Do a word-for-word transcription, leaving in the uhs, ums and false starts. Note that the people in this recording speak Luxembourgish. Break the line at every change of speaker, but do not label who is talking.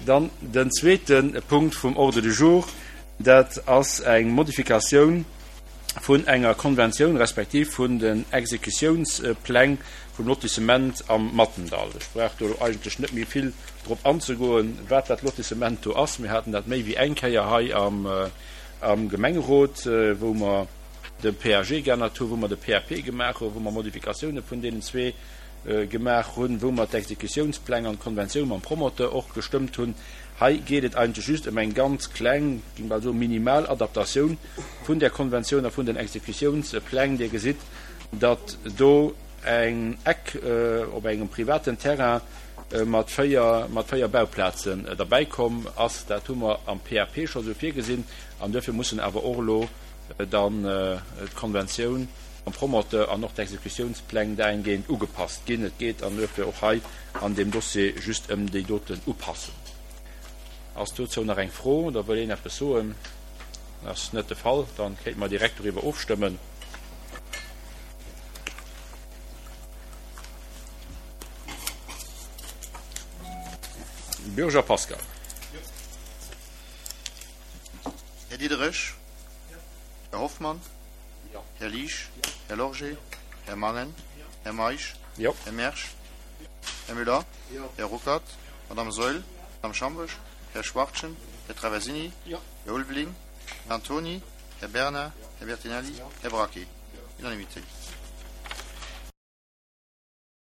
Dann den zweete Punkt vum Ordre du jour, dat ass eng Modifikatioun vun enger Konventioun respektiv vun den Exekutiounspläng vum Lotissement am Mattendall. Ech brauch do eigentlech net méi vill drop anzegoen, wat dat Lotissement do ass. Mir haten dat méi wéi eng Kéier hei am, am Gemengerot, wou mer de P A G geännert hunn, wou mer de P A P gemaach hunn, wou mer Modifikatioune vun deenen zwee gemaach hunn, wou mer d'Exekutiounspläng an d'Konventioun mam Promoteur och gestëmmt hunn. Hei geet et eigentlech just ëm eng ganz kleng, géing bal soen, minimal Adaptatioun vun där Konventioun a vun den Exekutiounspläng. Dir gesitt, datt do eng Eck op engem privaten Terrain mat véier, mat véier Bauplazen derbäikomm ass. Dat hu mer am P A P scho sou virgesinn an duerfir mussen awer och elo dann d'Konventioun mam Promoteur an och d'Exekutiounspläng dahingehend ugepasst ginn. Et geet an duerfir och hei an deem Dossier just ëm déi doten Upassung. Ass dozou nach eng Fro oder wëll een eppes soen? Ass net de Fall, dann kéinte mer direkt doriwwer ofstëmmen. Bürger Pascal.
Här Diderich. Här Hoffmann. Här Liesch. Här Lorgé. Här Mangen. Här Meisch. Här Mersch. Här Müller. Här Ruckert. Madame Saeul. Madame Schambourg. Här Schwachtgen. Här Traversini. Här Ulveling. Här Antoni. Här Bernard. Här Bertinelli. Här Braquet. Unanimité.